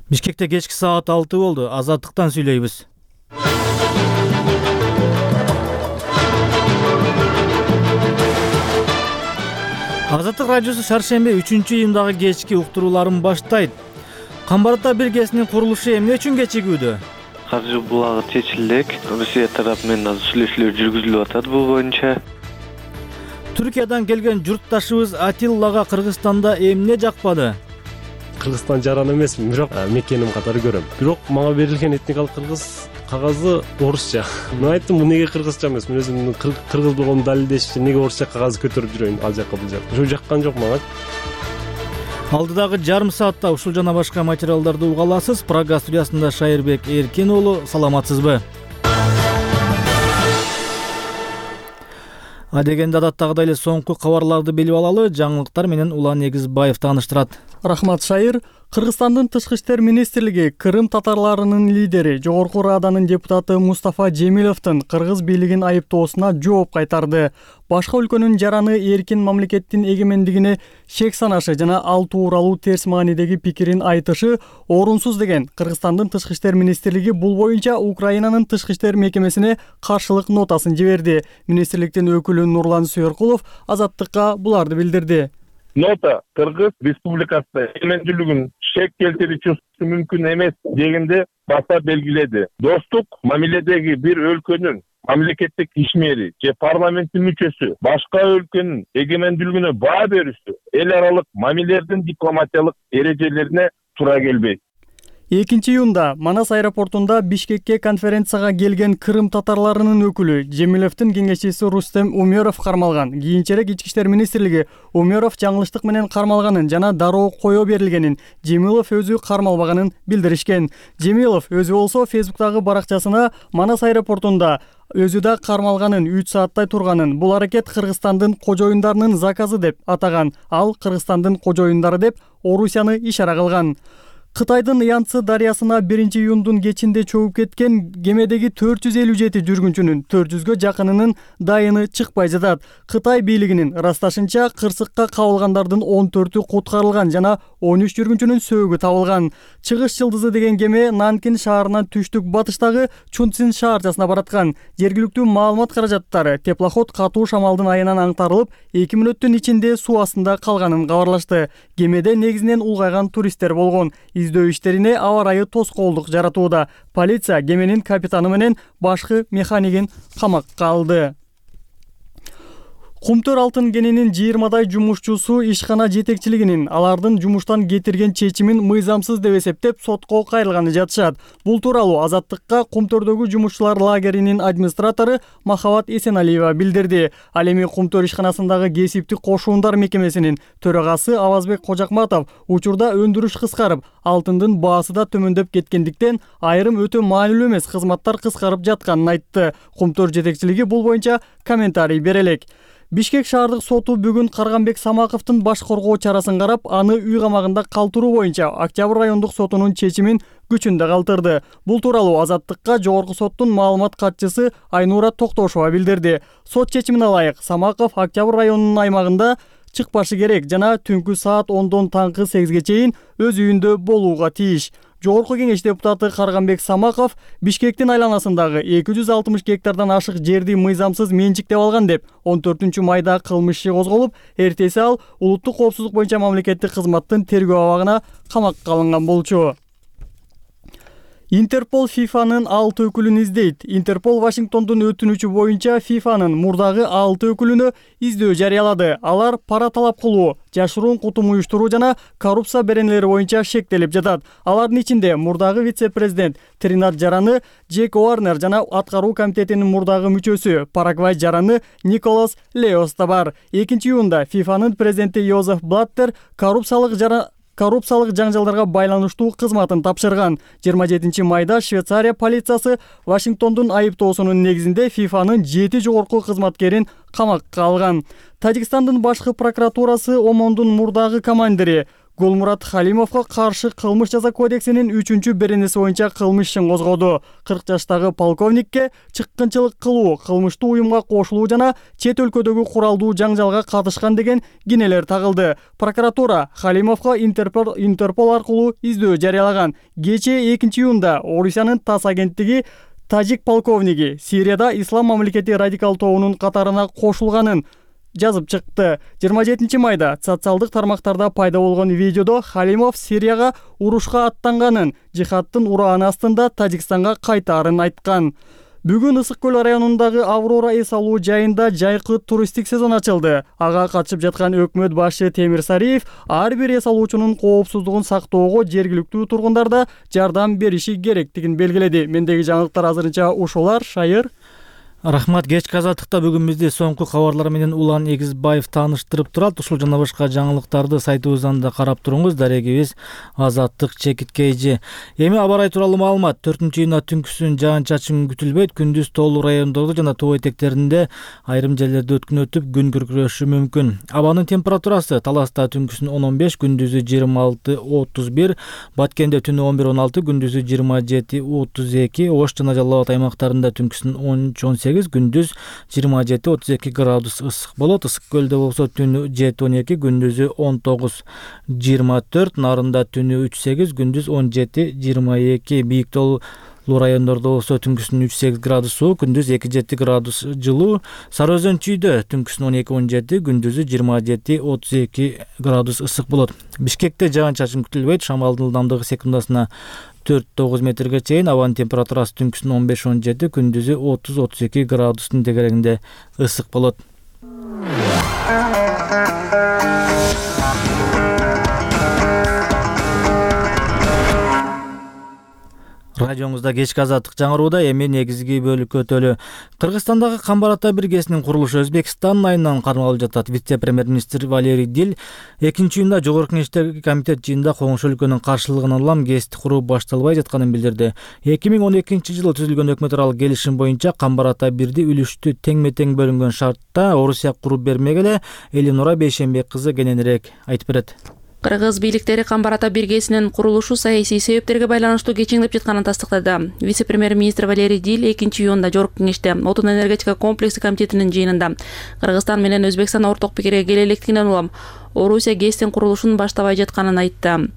Бишкекте кечки саат 6 болду. Азаттыктан сүйлөйбүз. Азаттык радиосу шаршемби 3-июндагы кечки уктурууларын баштайт. Камбар Ата биргесинин курулушу эмне үчүн кечигүүдө? Каржы булагы чечилек. Россия тарапы менен азыр сүйлөшүүлөр жүргүзүлүп атат бул боюнча. Түркиядан келген журтташыбыз Атиллага Кыргызстанда эмне жакпады? Кыргызстан жаран эмесмин, бирок мекеним катары көрөм. Бирок мага берилген этникалык кыргыз кагазы орусча. Мен айттым, бул неге кыргызча эмес? Мен өзүмдүн кыргыз болгонумду далилдеш үчүн неге орусча кагаз көтөрүп жүрөйүн ал жакка бул жакка. Ошо жаккан жок мага. Алдыдагы жарым саатта ушул жана башка материалдарды уга аласыз. Прага студиясында Шайырбек Эркен уулу, саламатсызбы? Адегенде адаттагыдай эле соңку кабарларды билип алалы. Жаңылыктар менен Улан Негизбаев тааныштырат. Рахмат, Шайыр. Кыргызстандын Тышкы иштер министрлиги Крым татарларынын лидери, Жогорку Раданын депутаты Мустафа Жемиловдун кыргыз бийлигин айыптоосуна жооп кайтарды. Башка өлкөнүн жараны эркин мамлекеттин эгемендигине шек санашы жана ал тууралуу терс маанидеги пикирин айтышы орунсуз деген Кыргызстандын Тышкы иштер министрлиги бул боюнча Украинанын Тышкы иштер мекемесине каршылык нотасын жиберди. Министрликтин өкүлү Нурлан Сүйөркулов Азаттыкка буларды билдирди. Нота Кыргыз Республикасында эгемендүүлүгүн шек келтирүүчү мүмкүн эмес дегенде баса белгиледи. Достук мамиледеги бир өлкөнүн мамлекеттик ишмери же парламенттин мүчөсү башка өлкөнүн эгемендүүлүгүнө баа берүүсү эл аралык мамилелердин дипломатиялык эрежелерине туура келбейт. 2-июнда Манас аэропортунда Бишкекке конференцияга келген Крым татарларынын өкүлү Жемиловдун кеңешчиси Рустем Умеров кармалган. Кийинчерээк Ички иштер министрлиги Умеров жаңылыштык менен кармалганын жана дароо кое берилгенин, Жемилов өзү кармалбаганын билдиришкен. Жемилов өзү болсо Фейсбуктагы баракчасына Манас аэропортунда өзү да кармалганын, 3 сааттай турганын, бул аракет Кыргызстандын кожоюндарынын заказы деп атаган. Ал Кыргызстандын кожоюндары деп Орусияны ишара кылган. Кытайдын Янцзы дарыясына 1-июндун кечинде чөгүп кеткен кемедеги 457 жүргүнчүнүн 400гө жакынынын дайыны чыкпай жатат. Кытай бийлигинин ырасташынча кырсыкка кабылгандардын 14-ü куткарылган жана 13 жүргүнчүнүн сөөгү табылган. Чыгыш жылдызы деген кеме Нанкин шаарынан түштүк батыштагы Чунцин шаарчасына бараткан. Жергиликтүү маалымат каражаттары теплоход катуу шамалдын айынан аңтарылып, 2 мүнөттүн ичинде суу астында калганын кабарлашты. Кемеде негизинен улгайган туристтер болгон. Издөө иштерине аба ырайы тоскоолдук жаратууда. Полиция кеменин капитаны менен башкы механикин камакка алды. Кумтөр алтын кенинин 20дай жумушчусу ишкана жетекчилигинин алардын жумуштан кетирген чечимин мыйзамсыз деп эсептеп сотко кайрылганы жатышат. Бул тууралуу Азаттыкка Кумтөрдөгү жумушчулар лагеринин администратору Махабат Эсеналиева билдирди. Ал эми Кумтөр ишканасындагы кесиптик кошуундар мекемесинин төрагасы Авазбек Кожакматов учурда өндүрүш кыскарып, алтындын баасы да төмөндөп кеткендиктен айрым өтө маанилүү эмес кызматтар кыскарып жатканын айтты. Кумтөр жетекчилиги бул боюнча комментарий бере элек. Бишкек шаардык соту бүгүн Карганбек Самаковдун баш коргоо чарасын карап, аны үй камагында калтыруу боюнча Октябрь райондук сотунун чечимин күчүндө калтырды. Бул тууралуу Азаттыкка жогорку соттун маалымат катчысы Айнура Токтошова билдирди. Сот чечимине ылайык Самаков Октябрь районунун аймагында чыкпашы керек жана түнкү саат 10дон таңкы 8ге чейин өз үйүндө болууга тийиш. Жогорку кеңеш депутаты Карганбек Самаков Бишкектин айланасындагы 260 гектардан ашык жерди мыйзамсыз менчиктеп алган деп 14-майда кылмыш иши козголуп, эртеси ал улуттук коопсуздук боюнча мамлекеттик кызматтын тергөө абагына камакка алынган болчу. Интерпол ФИФАнын 6 өкүлүн издейт. Интерпол Вашингтондун өтүнүчү боюнча ФИФАнын мурдагы 6 өкүлүнө издөө жарыялады. Алар пара талап кылуу, жашыруун кутум уюштуруу жана коррупция беренелери боюнча шектелип жатат. Алардын ичинде мурдагы вице-президент Тринад жараны Джек Уарнер жана аткаруу комитетинин мурдагы мүчөсү Парагвай жараны Николас Леос да бар. 2-июнда ФИФАнын президенти Йозеф Блаттер коррупциялык жаңжалдарга байланыштуу кызматын тапшырган. 27-майда Швейцария полициясы Вашингтондун айыптоосунун негизинде ФИФАнын 7 жогорку кызматкерин камакка алган. Тажикстандын башкы прокуратурасы Омондун мурдагы командири Голмурат Халимовго каршы кылмыш жаза кодексинин 3-беренеси боюнча кылмыш ишин козгоду. 40 жаштагы полковникке чыккынчылык кылуу, кылмыштуу уюмга кошулуу жана чет өлкөдөгү куралдуу жаңжалга катышкан деген кинелер тагылды. Прокуратура Халимовго Интерпол аркылуу издөө жарыялаган. Кечээ 2-июнда Орусиянын ТАСС агенттиги тажик полковниги Сирияда Ислам мамлекети радикал тобунун катарына кошулганын жазып чыкты. 27 майда социалдык тармактарда пайда болгон видеодо Халимов Сирияга урушка аттанганын, жихадтын урааны астында Тажикстанга кайтаарын айткан. Бүгүн Ысык көл районундагы Аврора эс алуу жайында жайкы туристтик сезон ачылды. Ага катышып жаткан өкмөт башы Темир Сариев ар бир эс алуучунун коопсуздугун сактоого жергиликтүү тургундарда жардам бериши керектигин белгиледи. Мендеги жаңылыктар азырынча ушулар. Шайыр. Рахмат. Кечки азаттыкта бүгүн бизди соңку кабарлар менен Улан Эгизбаев тааныштырып турат. Ушул жана башка жаңылыктарды сайтыбыздан да карап туруңуз. Дарегибиз Азаттык ЧКТ. Эми аба ырайы тууралуу маалымат. 4-июнда түнкүсүн жаан-чачын күтүлбөйт. Күндүз тоолуу райондордо жана тоо этектеринде айрым жерлерде өткүн өтүп, күн күркүрөшү мүмкүн. Абанын температурасы Таласта түнкүсүн 10-15, күндүзү 26-31, Баткенде түнү 11-16, күндүзү 27-32, Ош жана Жалал Абад аймактарында түнкүсүн 13-18, күндүз 27-32 градус ысык болот. Ысык көлдө болсо түнү 7-12, күндүзү 19-24, Нарында түнү 3-8, күндүз 17-22, Бийик тоолуу райондордо болсо түнкүсүн 3-8 градус суук, күндүз 2-7 градус жылуу. Сары Өзөн чүйдө түнкүсүн 12-17, күндүзү 27-32 градус ысык болот. Бишкекте жаан-чачын күтүлбөйт. Шамалдын ылдамдыгы секундасына 4-9 метрге чейин. Абанын температурасы түнкүсүн 15-17, күндүзү 30-32 градустун тегерегинде ысык болот. Радиоңузда кечки азаттык жаңырууда. Эми негизги бөлүккө өтөлү. Кыргызстандагы Камбар ата биргесинин курулушу Өзбекстан айынан кармалып жатат. Вице-премьер-министр Валерий Дил 2-июнда Жогорку Кеңештеги комитет жыйынында коңшу өлкөнүн каршылыгынан улам ГЭСти куруу башталбай жатканын билдирди. 2012-жылы түзүлгөн өкмөт аралык келишим боюнча Камбар ата бирди үлүштү тең-метең бөлүнгөн шартта Орусия куруп бермек эле. Элинура Бейшенбек кызы кененирээк айтып берет. Кыргыз бийликтери Камбар ата биргесинин курулушу саясий себептерге байланыштуу кечеңдеп жатканын тастыктады. Вице-премьер-министр Валерий Дил 2-июнда Жогорку Кеңеште Отун энергетика комплекси комитетинин жыйынында Кыргызстан менен Өзбекстан орток пикирге келе электигинен улам Орусия ГЭСтин курулушун баштабай жатканын айтты.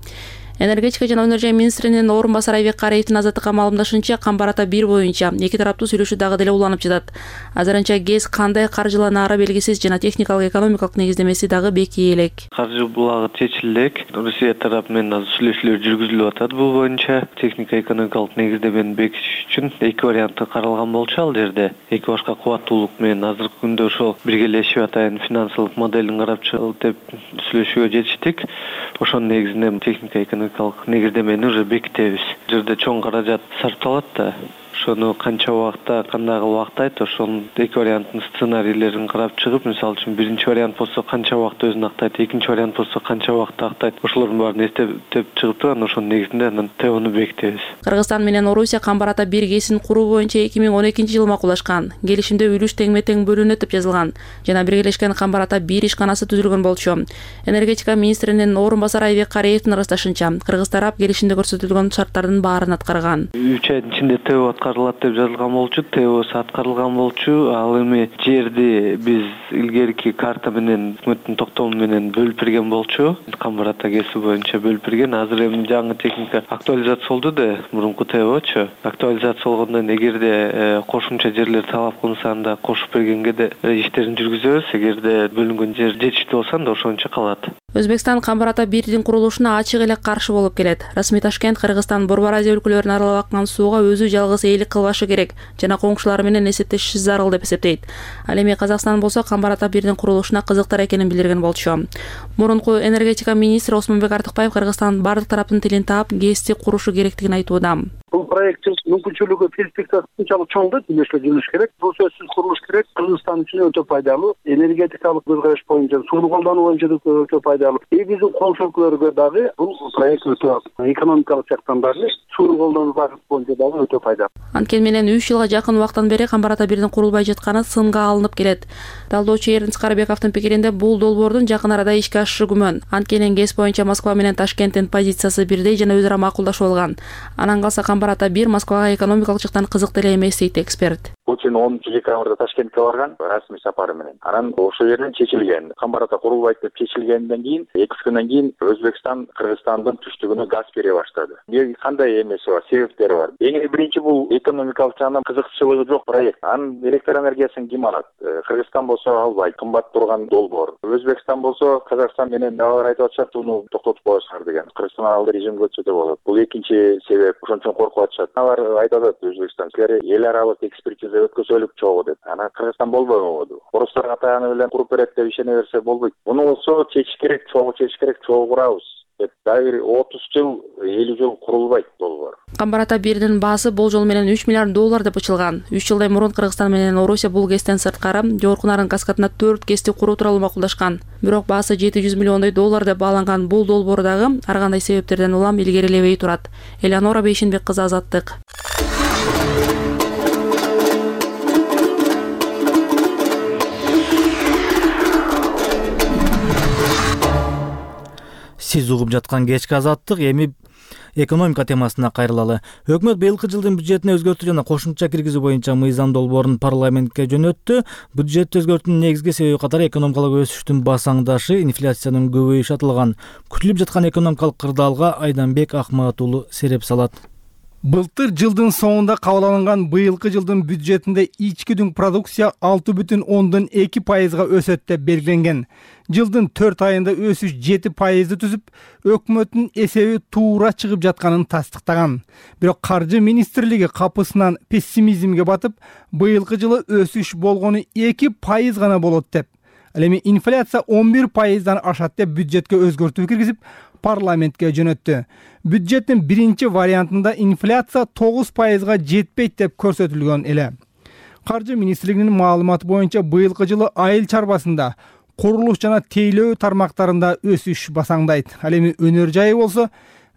Энергетика жана өнөр жай министринин орун басары Айбек Караевдин азаттыкка маалымдашынча, Камбар ата 1 боюнча эки тараптуу сүйлөшүү дагы деле уланып жатат. Азырынча ГЭС кандай каржыланаары белгисиз жана техникалык экономикалык негиздемеси дагы бекий элек. Каржы булагы чечиле элек. Русия тарапы менен азыр сүйлөшүүлөр жүргүзүлүп атат. Бул боюнча техника экономикалык негиздемени бекитиш үчүн эки варианты каралган болчу. Ал жерде эки башка кубаттуулук менен азыркы күндө ошол биргелешип атайын финансылык моделин карап чыгып деп сүйлөшүүгө жетиштик. Ошонун негизинде техника экономикалык негиздемени уже бекитебиз. Жерде чоң каражат сарпталат да. Ошону канча убакта, кандай актайт, ошонун эки варианттын сценарийлерин карап чыгып, мисалы үчүн биринчи вариант болсо канча убакта өзүн актайт, экинчи вариант болсо канча убакта актайт. Ошолордун баарын эстеп чыгып анан ошонун негизинде анан ТОну бекитебиз. Кыргызстан менен Орусия Камбар ата биргесин куруу боюнча 2012-жылы макулдашкан. Келишимде үлүш тең-метең бөлүнөт деп жазылган жана биргелешкен Камбар ата 1 ишканасы түзүлгөн болчу. Энергетика министринин орун басары Айбек Караевдин ырасташынча, кыргыз тарап келишимде көрсөтүлгөн шарттардын баарын аткарган. 3 айдын ичинде ТО аткарылат деп жазылган болчу, ТОсу аткарылган болчу. Ал эми жерди биз илгерки карта менен өкмөттүн токтому менен бөлүп берген болчу. Камбар ата ГЭСи боюнча бөлүп берген. Азыр эми жаңы техника актуализация болду да, мурунку ТОчу. Актуализация болгондон эгерде кошумча жерлер талап кылынса анда кошуп бергенге де иштерин жүргүзөбүз. Эгерде бөлүнгөн жер жетиштүү болсо анда ошончо калат. Өзбекстан Камбар ата 1-дин курулушуна ачык эле каршы болуп келет. Расмий Ташкент Кыргызстан Борбор Азия өлкөлөрүн аралап аккан сууга өзү жалгыз ээлик кылбашы керек жана коңшулары менен эсептешиши зарыл деп эсептейт. Ал эми Казакстан болсо Камбар ата 1-дин курулушуна кызыктар экенин билдирген болчу. Мурунку энергетика министри Осмонбек Артыкбаев Кыргызстан бардык тараптын тилин таап ГЭСти курушу керектигин айтууда. Бул проекттин мүмкүнчүлүгү перспективасы ушунчалык чоң да, тиешелүү жүрүш керек. Бул сөзсүз курулуш керек. Кыргызстан үчүн өтө пайдалуу, энергетикалык көзкараш боюнча, сууну колдонуу боюнча да өтө пайдалуу. Биздин коңшу өлкөлөргө дагы бул проект өтө экономикалык жактан дагы, сууну колдонуу багыты боюнча дагы өтө пайдалуу. Анткени менен 3 жылга жакын убакыттан бери Камбар ата 1дин курулбай жатканы сынга алынып келет. Талдоочу Эрдин Скарабековдун пикиринде бул долбоордун жакын арада ишке ашышы күмөн. Анткени ГЭС боюнча Москва менен Ташкенттин позициясы бирдей жана өзара макулдашып алган. Анан калса Камбар ата 1 Москвага экономикалык жактан кызык деле эмес дейт эксперт. Путин 10-декабрда Ташкентке барган расмий сапары менен. Анан ошол жерден чечилген. Камбар ата курулбайт деп чечилгенден кийин 2 күндөн кийин Өзбекстан Кыргызстандын түштүгүнө газ бере баштады. Кандай эмеси бар, себептери бар. Эң биринчи бул экономикалык жагынан кызыкчылыгы жок проект. Анын электр энергиясын ким алат? Кыргызстан болсо албайт, кымбат турган долбоор. Өзбекстан болсо Казакстан менен алар айтып атышат, уну токтотуп коесуңар деген. Кыргызстан алды режимге өтсө болот. Бул экинчи себеп. Ошон үчүн коркуп атышат. Алар айтып атат Өзбекстан, силер эл аралык экспертиза өткөзөлүк чогуу деп. Анан Кыргызстан болбойбу? Орустар катаганы менен куруп берет деп ишене берсе болбойт. Муну болсо чечиш керек, чогуу курабыз. Дайыр 30 жыл, 50 жыл курулбайт долбоор. Камбар ата 1дин баасы болжол менен $3 миллиард деп ычылган. 3 жылдай мурун Кыргызстан менен Орусия бул ГЭСтен сырткары жогорку нарын каскадына 4 ГЭСти куруу тууралуу макулдашкан. Бирок баасы $700 миллион деп бааланган бул долбоор дагы ар кандай себептерден улам илгерилебей турат. Элеонора Бейшенбек кызы, Азаттык. Сиз угуп жаткан кечки Азаттык, эми экономика темасына кайрылалы. Өкмөт быйылкы жылдын бюджетине өзгөртүү жана кошумча киргизүү боюнча мыйзам долбоорун парламентке жөнөттү. Бюджет өзгөртүүнүн негизги себеби катары экономикалык өсүштүн басаңдашы, инфляциянын көбөйүшү аталган. Күтүлүп жаткан экономикалык кырдаалга Айданбек Акмат уулу сереп салат. Былтыр жылдын соңунда кабыл алынган быйылкы жылдын бюджетинде ички дүң продукция 6,2% өсөт деп белгиленген. Жылдын 4 айында өсүш 7% түзүп, өкмөттүн эсеби туура чыгып жатканын тастыктаган. Бирок Каржы министрлиги капысынан пессимизмге батып, быйылкы жылы өсүш болгону 2% гана болот деп. Ал эми инфляция 11%дан ашат деп бюджетке өзгөртүү киргизип, парламентке жөнөттү. Бюджеттин биринчи вариантында инфляция 9%га жетпейт деп көрсөтүлгөн эле. Каржы министрлигинин маалыматы боюнча быйылкы жылы айыл чарбасында, курулуш жана тейлөө тармактарында өсүш басаңдайт. Ал эми өнөр жайы болсо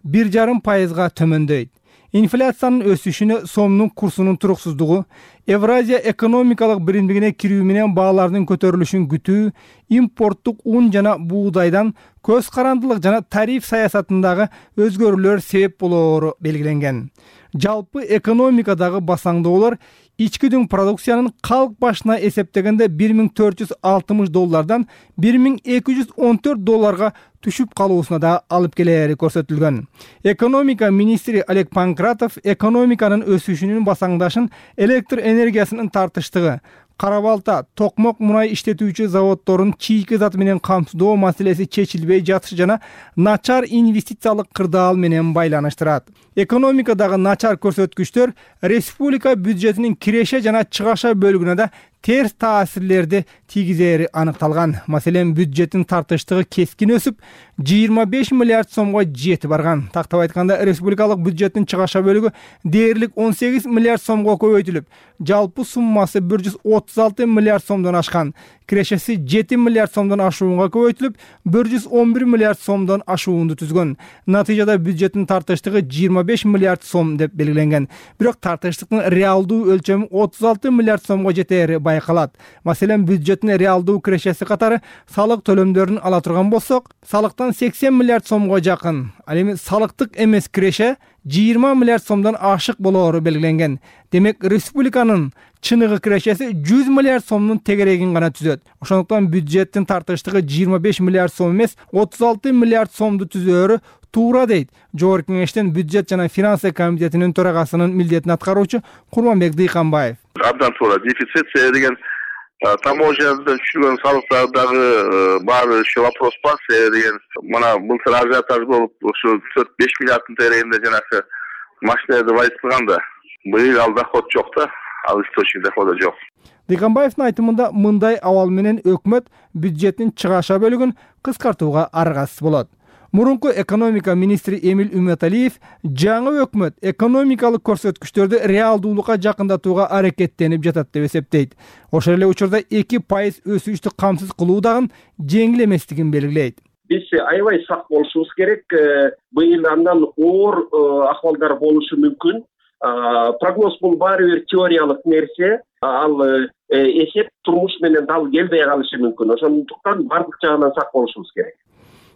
1,5%га төмөндөйт. Инфляциянын өсүшүнө сомдун курсунун туруксуздугу, Евразия экономикалык биримдигине кирүү менен баалардын көтөрүлүшүн күтүү, импорттук ун жана буудайдан көз карандылык жана тариф саясатындагы өзгөрүүлөр себеп болоору белгиленген. Жалпы экономикадагы басаңдоолор ички дүң продукциянын калк башына эсептегенде $1,460 $1,214 түшүп калуусуна да алып келери көрсөтүлгөн. Экономика министри Олег Панкратов экономиканын өсүшүнүн басаңдашын электр энергиясынын тартыштыгы, кара балта, токмок мунай иштетүүчү заводдордун чийки зат менен камсыздоо маселеси чечилбей жатышы жана начар инвестициялык кырдаал менен байланыштырат. Экономикадагы начар көрсөткүчтөр республика бюджетинин киреше жана чыгаша бөлүгүнө да терс таасирлерди тийгизери аныкталган. Маселен, бюджеттин тартыштыгы кескин өсүп, 25 миллиард сомго жетип барган. Тактап айтканда, республикалык бюджеттин чыгаша бөлүгү дээрлик 18 миллиард сомго көбөйтүлүп, жалпы суммасы 136 миллиард сомдон ашкан. Кирешеси 7 миллиард сомдон ашуунга көбөйтүлүп, 111 миллиард сомдон ашуунду түзгөн. Натыйжада бюджеттин тартыштыгы 25 миллиард сом деп белгиленген. Бирок тартыштыктын реалдуу өлчөмү 36 миллиард сомго жетери байкалат. Маселен, бюджеттин реалдуу кирешеси катары салык төлөмдөрүн ала турган болсок, салыктан 80 миллиард сомго жакын. Ал эми салыктык эмес киреше 20 миллиард сомдон ашык болоору белгиленген. Демек, республиканын чыныгы кирешеси 100 миллиард сомдун тегерегин гана түзөт. Ошондуктан бюджеттин тартыштыгы 25 миллиард сом эмес, 36 миллиард сомду түзөөрү туура дейт Жогорку Кеңештин бюджет жана финансы комитетинин төрагасынын милдетин аткаруучу Курманбек Дыйканбаев. Абдан туура. Дефицит деген таможнядан түшүргөн салыктардагы баары ошо вопрос бар деген. Мына былтыр ажиотаж болуп, ошо 4-5 миллиарддын тегерегинде жанагы машиналарды байытылганда, быйыл ал доход жок да, ал источник дохода жок. Дыйканбаевдин айтымында мындай абал менен өкмөт бюджеттин чыгаша бөлүгүн кыскартууга аргасыз болот. Мурунку экономика министри Эмиль Үмөталиев жаңы өкмөт экономикалык көрсөткүчтөрдү реалдуулукка жакындатууга аракеттенип жатат деп эсептейт. Ошол эле учурда 2% өсүштү камсыз кылуу дагы жеңил эместигин белгилейт. Биз аябай сак болушубуз керек. Быйыл андан оор акыбалдар болушу мүмкүн. Прогноз бул баары бир теориялык нерсе. Ал эсеп турмуш менен дал келбей калышы мүмкүн. Ошондуктан бардык жагынан сак болушубуз керек.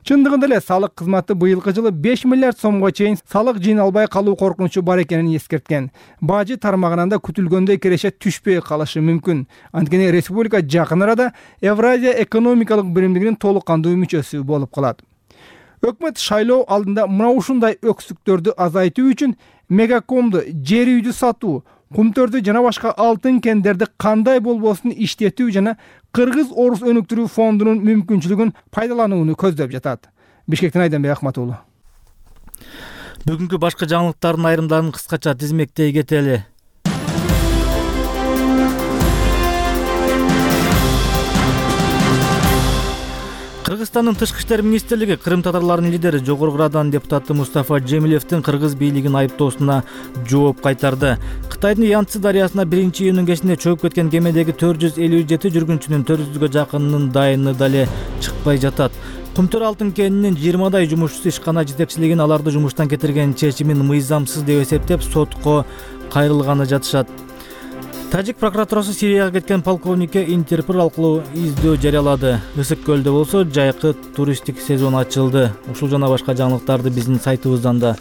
Чындыгында эле салык кызматы быйылкы жылы 5 миллиард сомго чейин салык жыйналбай калуу коркунучу бар экенин эскерткен. Бажы тармагынан да күтүлгөндөй киреше түшпөй калышы мүмкүн. Анткени республика жакын арада Евразия экономикалык биримдигинин толук кандуу мүчөсү болуп калат. Өкмөт шайлоо алдында мына ушундай өксүктөрдү азайтуу үчүн мегакомду, жер үйдү сатуу, кумтөрдү жана башка алтын кендерди кандай болбосун иштетүү жана кыргыз-орус өнүктүрүү фондунун мүмкүнчүлүгүн пайдаланууну көздөп жатат. Бишкектен Айданбек Акматуулу. Бүгүнкү башка жаңылыктардын айрымдарын кыскача тизмектей кетели. Кыргызстандын тышкы иштер министрлиги Кырым татарларынын лидери жогорку радан депутаты Мустафа Джемилевдин кыргыз бийлигин айыптоосуна жооп кайтарды. Кытайдын Янцзы дарыясына 1-июнүн кечинде чөгүп кеткен кемедеги 457 жүргүнчүнүн 400гө жакынынын дайыны дале чыкпай жатат. Кумтөр алтын кенинин 20дай жумушчусу ишкана жетекчилигин аларды жумуштан кетирген чечимин мыйзамсыз деп эсептеп сотко кайрылганы жатышат. Тажик прокуратурасы Сирияга кеткен полковникке Интерпол аркылуу издөө жарыялады. Ысык көлдө болсо жайкы туристтик сезон ачылды. Ушул жана башка жаңылыктарды биздин сайтыбыздан да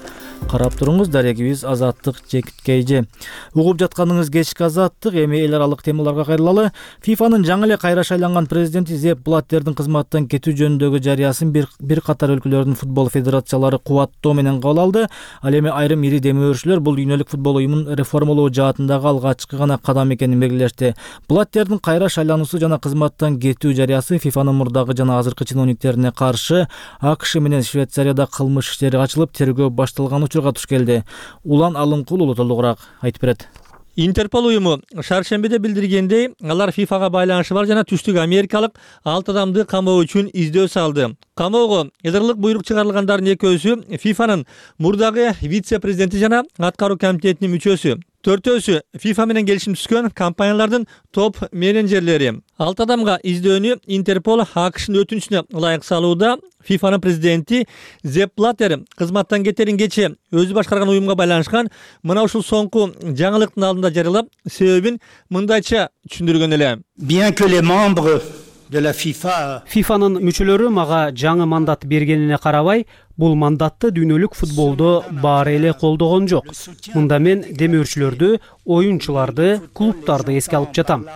карап туруңуз. Дарегибиз Азаттык Чекиткейжи. Угуп жатканыңыз кечки Азаттык. Эми эл аралык темаларга кайрылалы. ФИФАнын жаңы эле кайра шайланган президенти Зепп Блаттердин кызматтан кетүү жөнүндөгү жарыясын бир катар өлкөлөрдүн футбол федерациялары кубаттоо менен кабыл алды. Ал эми айрым ири демөөрчүлөр бул дүйнөлүк футбол уюмун реформалоо жаатындагы алгачкы гана кадам экенин белгилешти. Блаттердин кайра шайлануусу жана кызматтан кетүү жарыясы ФИФАнын мурдагы жана азыркы чиновниктерине каршы АКШ менен Швейцарияда кылмыш иштери ачылып, тергөө башталган учурга туш келди. Улан Алымкул улуу толугураак айтып берет. Интерпол уюму шаршембиде билдиргендей, алар ФИФАга байланышы бар жана түштүк америкалык 6 адамды камоо үчүн издөө салды. Камоого эдерлык буйрук чыгарылгандардын экөөсү ФИФАнын мурдагы вице-президенти жана аткаруу комитетинин мүчөсү. Төртөөсү ФИФА менен келишим түзгөн компаниялардын топ менеджерлери. 6 адамга издөөнү Интерпол АКШнын өтүнүчүнө ылайык салууда. ФИФАнын президенти Зепп Блаттер кызматтан кетерин кечээ өзү башкарган уюмга байланышкан мына ушул соңку жаңылыктын алдында жарыялап, себебин мындайча түшүндүргөн эле. Bien que les membres de la FIFA ФИФАнын мүчөлөрү мага жаңы мандат бергенине карабай, бул мандатты дүйнөлүк футболдо баары эле колдогон жок. Мында мен демөөрчүлөрдү, оюнчуларды, клубтарды эске алып жатам.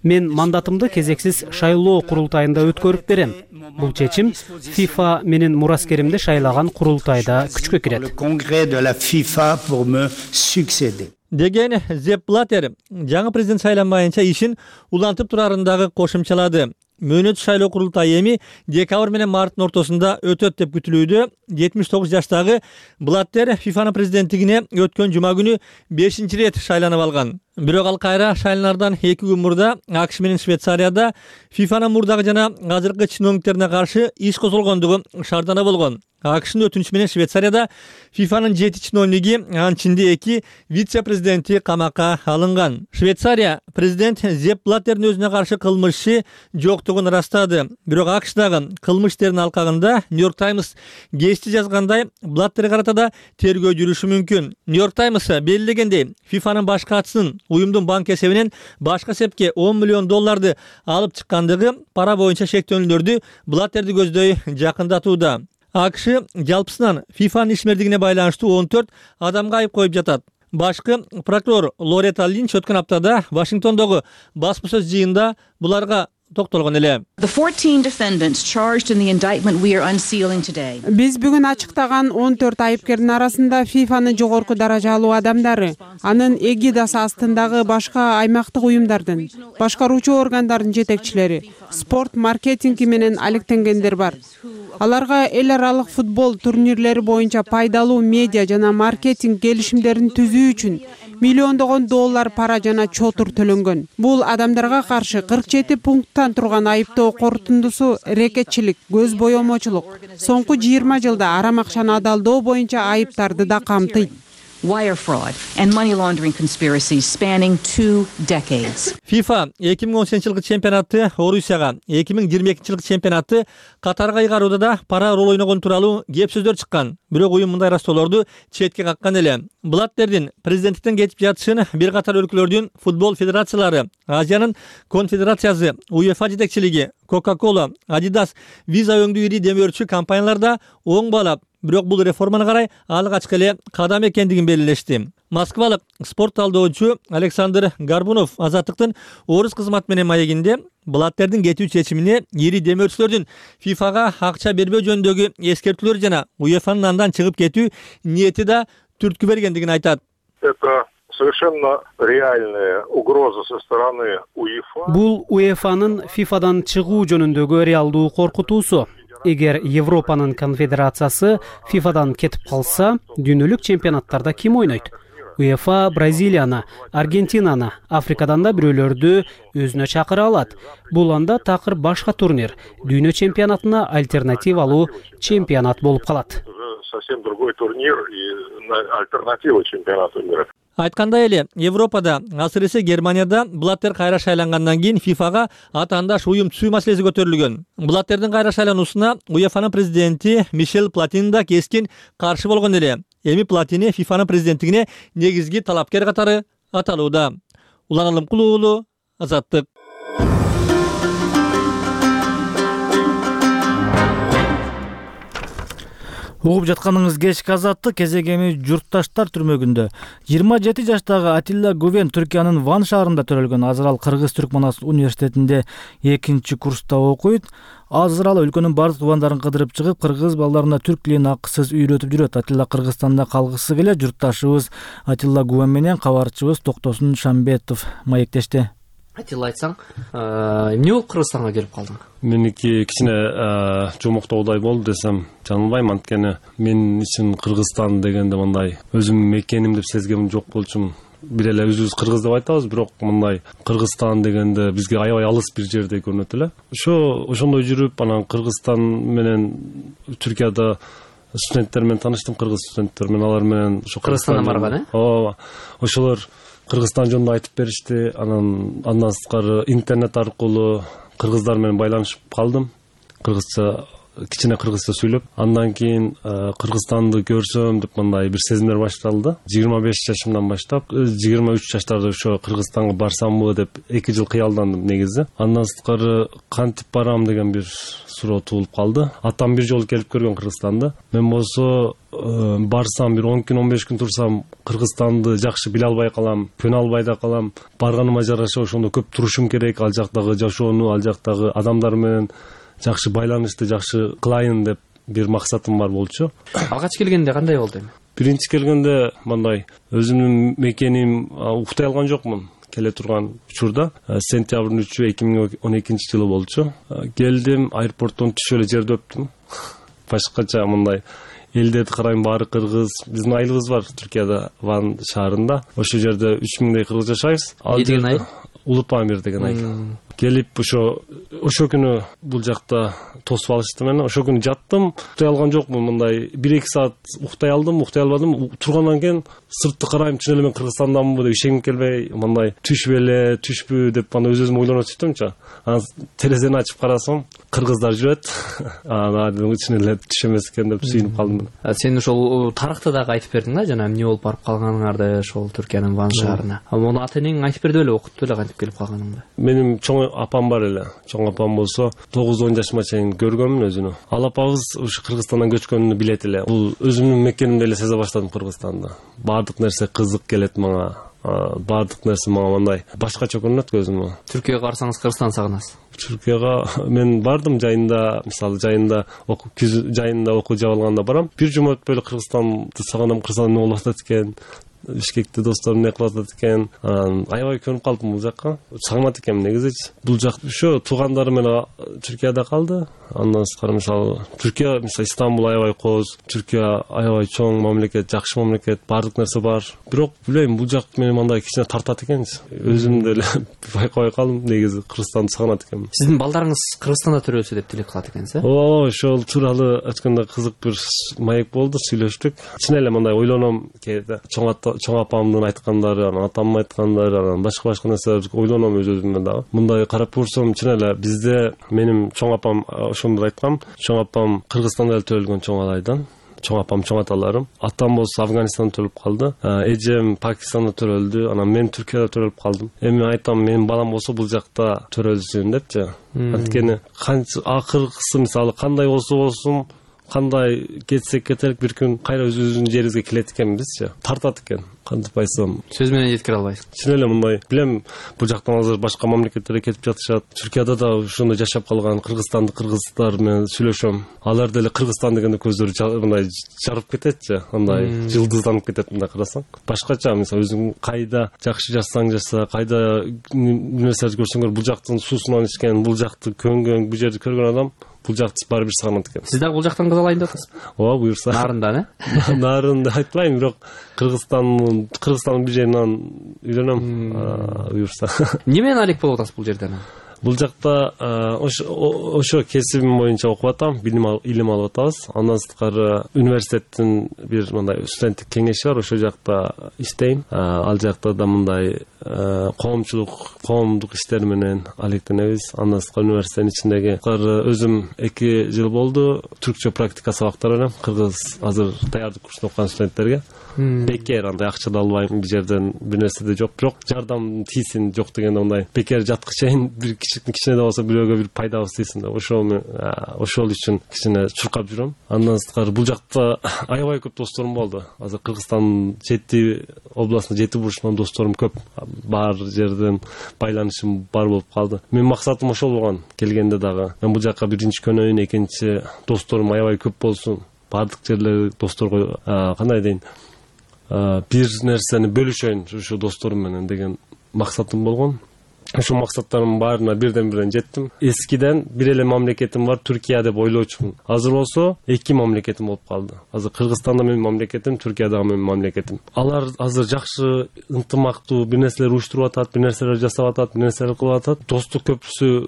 Мен мандатымды кезексиз шайлоо курултайында өткөрүп берем. Бул чечим ФИФА менин мураскеримди шайлаган курултайда күчкө кирет. Деген Зепп Блаттер жаңы президент шайланбайынча ишин улантып турарындагы кошумчалады. Мөөнөт шайлоо курултайы эми декабрь менен марттын ортосунда өтөт деп күтүлүүдө. 79 жаштагы Блаттер ФИФАнын президенттигине өткөн жума күнү 5-чи рет шайланып алган. Бирок ал кайра шайланардан 2 күн мурда АКШ менен Швейцарияда ФИФАнын мурдагы жана азыркы чиновниктерине каршы иш козголгондугу шаардана болгон. АКШнын өтүнүчү менен Швейцарияда ФИФАнын 7 чиновниги, анын ичинде 2 вице-президенти камакка алынган. Швейцария президент Зепп Блаттердин өзүнө каршы кылмыш иши жоктугун ырастады. Бирок АКШдагы кылмыш иштердин алкагында Нью-Йорк Таймс гезити жазгандай, Блаттерге карата да тергөө жүрүшү мүмкүн. Нью-Йорк Таймс белгилегендей, ФИФАнын баш катчысынын уюмдун банк эсебинен башка эсепке $10 миллион алып чыккандыгы пара боюнча шектөөнүлөрдү Блаттерди көздөй жакындатууда. АКШ жалпысынан ФИФАнын ишмердигине байланыштуу 14 адамга айып коюп жатат. Башкы прокурор Лоретта Линч өткөн аптада Вашингтондогу басма-сөз жыйында буларга токтолгон эле. Биз бүгүн ачыктаган 14 айыпкердин арасында ФИФАнын жогорку даражалуу адамдары, анын эгидасы астындагы башка аймактык уюмдардын, башкаруучу органдардын жетекчилери, спорт маркетинги менен алектенгендер бар. Аларга эл аралык футбол турнирлери боюнча пайдалуу медиа жана маркетинг келишимдерин түзүү үчүн $миллиондогон пара жана чотур төлөнгөн. Бул адамдарга каршы 47 пункттан Кыргызстан турган айыптоо корутундусу рекетчилик, көз боемочулук. Соңку 20 жылда арам акчаны адалдоо боюнча айыптарды да камтыйт. Wire fraud and money laundering conspiracies spanning 2 decades. FIFA 2018-жылкы чемпионаты Орусияга, 2022-жылкы чемпионаты Катарга ыйгарууда да пара рол ойногон тууралуу кеп сөздөр чыккан. Бирок уюм мындай растоолорду четке каккан эле. Блаттердин президенттиктен кетип жатышын бир катар өлкөлөрдүн футбол федерациялары, Азиянын конфедерациясы, УЕФА жетекчилиги, Coca-Cola, Adidas, Visa өңдүү ири демөөрчү компаниялар да оң баалап, бирок бул реформаны карай алгачкы эле кадам экендигин белгилешти. Москвалык спорт талдоочу Александр Горбунов Азаттыктын орус кызматы менен маегинде Блаттердин кетүү чечимине ири демөөрчүлөрдүн ФИФАга акча бербөө жөнүндөгү эскертүүлөр жана УЕФАнын андан чыгып кетүү ниети да түрткү бергендигин айтат. Это совершенно реальная угроза со стороны УЕФА. Бул УЕФАнын ФИФАдан чыгуу жөнүндөгү реалдуу коркутуусу. Эгер Европанын конфедерациясы ФИФАдан кетип калса, дүйнөлүк чемпионаттарда ким ойнойт? УЕФА Бразилияны, Аргентинаны, Африкадан да бирөөлөрдү өзүнө чакыра алат. Бул анда такыр башка турнир, дүйнө чемпионатына альтернативалуу чемпионат болуп калат. Совсем другой турнир и альтернатива чемпионату мира. Айткандай эле, Европада, асырысы Германияда Блаттер кайра шайлангандан кийин ФИФАга атаандаш уюм түзүү маселеси көтөрүлгөн. Блаттердин кайра шайлануусуна УЕФАнын президенти Мишель Платини да кескин каршы болгон эле. Эми Платини ФИФАнын президенттигине негизги талапкер катары аталууда. Улан Алымкулуу уулу, Азаттык. Угуп жатканыңыз кечки Азаттык. Кезегеми журтташтар түрмөгүндө 27 жаштагы Атилла Гувен Түркиянын Ван шаарында төрөлгөн. Азыр ал Кыргыз Түркманас университетинде 2-чи курста окуйт. Азыр ал өлкөнүн бардык тубандарын кыдырып чыгып, кыргыз балдарына түрк тилин акысыз үйрөтүп жүрөт. Атилла Кыргызстанда калгысы келет. Журтташыбыз Атилла Гувен менен кабарчыбыз Токтосун Шамбетов маектешти. Атилла, айтсаң, эмне болуп Кыргызстанга келип калдың? Меники кичине жомоктоудай болду десем жаңылбайм. Анткени мен үчүн Кыргызстан дегенде мындай өзүм мекеним деп сезгем жок болчумун. Бир эле өзүбүз кыргыз деп айтабыз, бирок мындай Кыргызстан дегенде бизге аябай алыс бир жердей көрүнөт эле. Ошондой жүрүп, анан Кыргызстан менен Түркияда студенттер менен тааныштым, кыргыз студенттер менен, алар менен ошо Кыргызстандан барган, Ооба. Ошолор Кыргызстан жөнүндө айтып беришти. Андан сырткары интернет аркылуу кыргыздар менен байланышып калдым. Кыргызча, кичине кыргызча сүйлөп, андан кийин Кыргызстанды көрсөм деп мындай бир сезимдер башталды. 25 жашымдан баштап 23 жаштарда ошо Кыргызстанга барсамбы деп 2 жыл кыялдандым негизи. Андан сырткары кантип барам деген бир суроо туулуп калды. Атам бир жолу келип көргөн Кыргызстанды. Мен болсо барсам бир 10 күн 15 күн турсам Кыргызстанды жакшы биле албай калам, көнө албай да калам. Барганыма жараша ошондо көп турушум керек. Ал жактагы жашоону, ал жактагы адамдар менен жакшы байланышты жакшы кылайын деп бир максатым бар болчу. Алгач келгенде кандай болду эми? Биринчи келгенде мындай өзүмдүн мекеним уктай алган жокмун. Келе турган учурда сентябрдын 3-ü 2012-жылы болчу. Келдим, аэропорттон түшүп эле жерде өптүм. Башкача мындай элдерди карайм, баары кыргыз. Биздин айылыбыз бар Түркияда, Ван шаарында. Ошол жерде 3000 кыргыз жашайбыз. Ал деген айыл? Улутпамир деген айыл. Келип ошо күнү бул жакта тосуп алышты мени. Ошо күнү жаттым, уктай алган жокмун. Мындай 1-2 саат уктай алдым, уктай албадым. Тургандан кийин сыртты карайм, чын эле мен Кыргызстандамынбы деп ишенгим келбей, мындай түшпү эле, түшпү деп анда өз-өзүмө ойлонуп сөйттүмчү. Анан терезени ачып карасам, кыргыздар жүрөт. Анан чын эле түш эмес экен деп сүйүнүп калдым. Сен ошол тарыхты дагы айтып бердиң да, жана эмне болуп барып калганыңарды ошол Түркиянын Ван шаарына. Муну ата-энең айтып берди беле, окутту беле кантип келип калганыңды? Менин чоң апам бар эле. Чоң апам болсо 9-10 жашыма чейин көргөнмүн өзүнү. Ал апабыз ушу Кыргызстандан көчкөнүн билет эле. Бул өзүмдүн мекенимде эле сезе баштадым Кыргызстанды. Баардык нерсе кызык келет мага. Баардык нерсе мага мындай башкача көрүнөт көзүмө. Түркияга барсаңыз Кыргызстанды сагынасыз? Түркияга мен бардым жайында, мисалы жайында жайында окуу жаап алганда барам. Бир жума өтпөй эле Кыргызстанды сагынам, Кыргызстанда эмне болуп атат экен Бишкекте досторум эмне кылып атат экен, анан аябай көнүп калдым бул жакка. Сагынат экенмин негизичи. Бул жак ошо туугандарым менен Түркияда калды. Андан тышкары мисалы Түркия, мисалы Истанбул аябай кооз, Түркия аябай чоң мамлекет, жакшы мамлекет, баардык нерсе бар. Бирок билбейм, бул жак мени мындай кичине тартат экенчи. Өзүм деле байкабай калдым, негизи Кыргызстанды сагынат экенмин. Сиздин балдарыңыз Кыргызстанда төрөлсө деп тилек кылат экенсиз, э? Ооба, ошол тууралуу айтканда кызык бир маек болду, сүйлөштүк. Чын эле мындай ойлоном кээде. Чоң апамдын айткандары, анан атамдын айткандары, анан башка нерселер ойлоном өзүмө дагы. Мындай карап көрсөм, чын эле бизде менин чоң апам ошондо айткам, чоң апам Кыргызстанда эле төрөлгөн чоң алайдан. Чоң апам, чоң аталарым. Атам болсо Афганистанда төрөлүп калды. Эжем Пакистанда төрөлдү. Анан мен Түркияда төрөлүп калдым. Эми айтам, менин балам болсо бул жакта төрөлсүн депчи. Анткени канча акыркысы мисалы кандай болсун, кандай кетсек кетелик бир күн кайра өзүбүздүн жерибизге келет экенбизчи. Тартат экен. Кантип айтсам, сөз менен жеткире албайсыз. Чын эле мындай билем, бул жактан азыр башка мамлекеттерге кетип жатышат. Түркияда да ошондой жашап калган кыргызстандык кыргыздар менен сүйлөшөм. Алар деле Кыргызстан дегенде көздөрү мындай жарып кететчи, андай жылдызданып кетет мындай карасаң. Башкача мисалы өзүң кайда жакшы жашасаң жаса, кайда нерселерди көрсөңөр, бул жактын суусунан ичкен, бул жакты көнгөн, бул жерди көргөн адам бул жакты баары бир сагынат экен. Сиз дагы бул жактан кыз алайын деп атасыз? Ооба, буюрса. Нарындан, э? Нарында айтпайм, бирок Кыргызстандын бир жеринен үйлөнөм, буюрса. Эмне менен алек болуп атасыз бул жерден? Бул жакта ошо кесибим боюнча окуп атам, илим алып атабыз. Андан сырткары университеттин бир мындай студенттик кеңеши бар, ошол жакта иштейм. Ал жакта да мындай коомдук иштер менен алектенебиз. Андан сырткары университеттин ичиндеги өзүм 2 жыл болду түркчө практика сабактар берем. Кыргыз азыр даярдык курсунда окуган студенттерге. Бекер андай акча да албайм, бир жерден бир нерсе да жок. Бирок жардам тийсин, жок дегенде мындай бекер жаткычайын бир кичине да болсо бирөөгө бир пайдабыз тийсин деп ошол үчүн кичине чуркап жүрөм. Андан сырткары бул жакта аябай көп досторум болду. Азыр Кыргызстандын жети областынын жети бурчунан досторум көп. Бар жерден байланышым бар болуп калды. Менин максатым ошол болгон келгенде дагы. Мен бул жакка биринчи көнөйүн, экинчи досторум аябай көп болсун. Бардык жерлер досторго кандай дейин, бир нерсени бөлүшөйүн ушу досторум менен деген максатым болгон. Ошол максаттарымдын баарына бирден жеттим. Эскиден бир эле мамлекетим бар, Түркия деп ойлочумун. Азыр болсо 2 мамлекетим болуп калды. Азыр Кыргызстанда менин мамлекетим, Түркияда менин мамлекетим. Алар азыр жакшы ынтымактуу бир нерселер уюштуруп атат, бир нерселер жасап атат, бир нерселер кылып атат. Достук көпүрөсү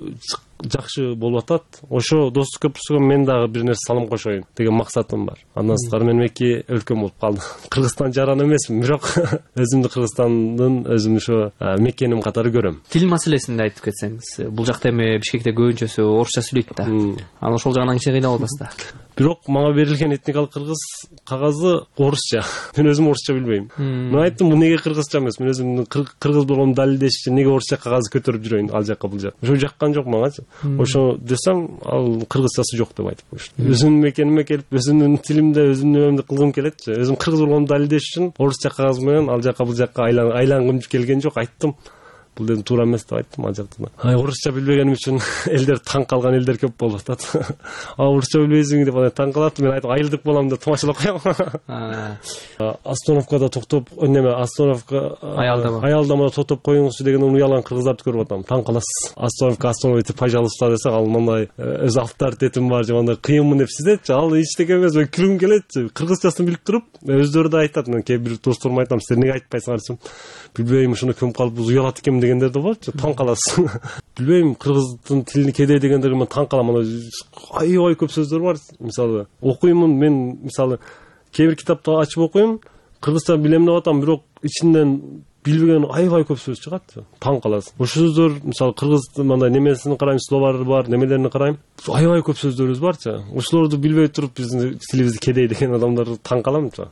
жакшы болуп атат. Ошо достук көпүрөсүгө мен дагы бир нерсе салым кошоюн деген максатым бар. Андан сырткары менин 2 өлкөм болуп калды. Кыргызстан жаран эмесмин, бирок өзүмдү Кыргызстандын өзүм ошо мекеним катары көрөм. Тил маселесинде айтып кетсеңиз, бул жакта эми Бишкекте көбүнчөсү орусча сүйлөйт да. Анан ошол жагынан кичине кыйналып атасыз да. Бирок мага берилген этникалык кыргыз кагазы орусча. Мен өзүм орусча билбейм. Мен айттым, бул неге кыргызча эмес? Мен өзүмдүн кыргыз болгонумду далилдеш үчүн неге орусча кагаз көтөрүп жүрөйүн ал жакка бул жак. Ошо жаккан жок магачы. Ошо десем, ал кыргызчасы жок деп айтып коюшту. Өзүмдүн мекениме келип, өзүмдүн тилимде, өзүмдүн немемди кылгым келетчи. Өзүм кыргыз болгонумду далилдеш үчүн орусча кагаз менен ал жакка бул жакка айлангым келген жок, айттым. Бул дедим туура эмес деп айттым ал жакта. Орусча билбегеним үчүн элдер таң калган элдер көп болуп атат. Орусча билбейсиң деп таң калат. Мен айттым, айылдык болом деп тамашалап коем. Остановкада токтоп, остановка аялдамада токтоп коюңузчу деген уялган кыргыздарды көрүп атам. Таң каласыз. Остановите, пожалуйста десе, ал мындай өз авторитетим бар, жамандай кыйынмын деп сезетчи. Ал эчтеке эмес, күлгүм келетчи. Кыргызчасын билип туруп, өздөрү да айтат. Мен кээ бир досторума айтам, силер неге айтпайсыңар десем, билбейм, ушуну көмүп калып уялат экенмин дегендер да болчу. Таң каласыз. Билбейм, кыргыздын тилини кедей дегендерге мен таң калам. Аябай көп сөздөр бар. Мисалы, окуймун, мен мисалы кээ бир китапты ачып окуйм, кыргызча билем деп атам, бирок ичинен билбеген аябай көп сөз чыгат. Таң каласыз. Ошол сөздөр, мисалы кыргыздын мындай немесин карайм, словары бар, немелерин карайм. Аябай көп сөздөрүбүз барчы. Ошолорду билбей туруп биздин тилибизди кедей деген адамдар таң каламчы.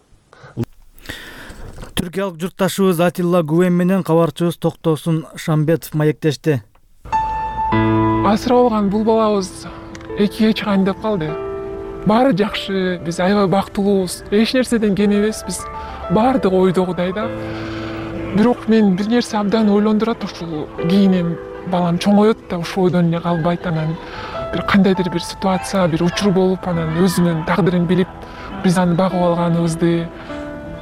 Түркиялык журтташыбыз Атилла Гувен менен кабарчыбыз Токтосун Шамбетов маектешти. Асырап алган бул балабыз 2-ге чыгайын деп калды. Баары жакшы, биз аябай бактылуубуз. Эч нерседен кем эмеспиз. Баардыгы ойдогудай да. Бирок мен бир нерсе абдан ойлондурат, ушул кийин балам чоңоет да ушул ойдон эле калбайт. Анан бир кандайдыр бир ситуация, бир учур болуп, анан өзүнүн тагдырын билип, биз аны багып алганыбызды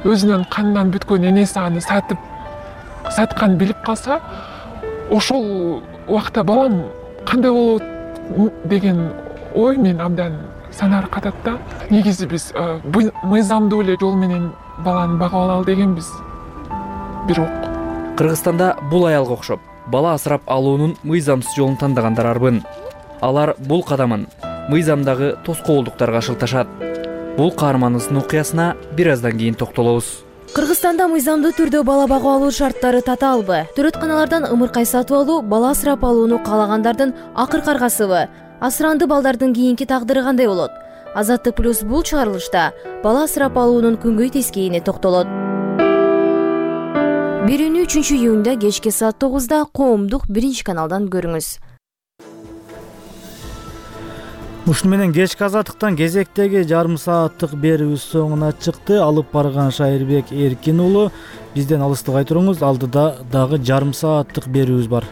өзүнүн канынан бүткөн энеси аны сатканын билип калса, ошол убакта балам кандай болот деген ой мен абдан санаар катат да. Негизи биз мыйзамдуу эле жол менен баланы багып алалы дегенбиз. Бирок Кыргызстанда бул аялга окшоп бала асырап алуунун мыйзамсыз жолун тандагандар арбын. Алар бул кадамын мыйзамдагы тоскоолдуктарга шылташат. Бул каармандын окуясына бир аздан кийин токтолобуз. Кыргызстанда мыйзамдуу түрдө бала багып алуу шарттары татаалбы? Төрөтканалардан ымыркай сатып алуу бала асырап алууну каалагандардын акыркы аргасыбы? Асыранды балдардын кийинки тагдыры кандай болот? Азаттык плюс бул чыгарылышта бала асырап алуунун күнгөй тескейине токтолот. Берүүнү 3-июнда кечки саат 9-да коомдук 1-каналдан көрүңүз. Ушуну менен кечки азаттыктан кезектеги жарым сааттык берүүбүз соңуна чыкты. Алып барган Шайырбек Эркин уулу. Бизден алыстабай туруңуз, алдыда дагы жарым сааттык берүүбүз бар.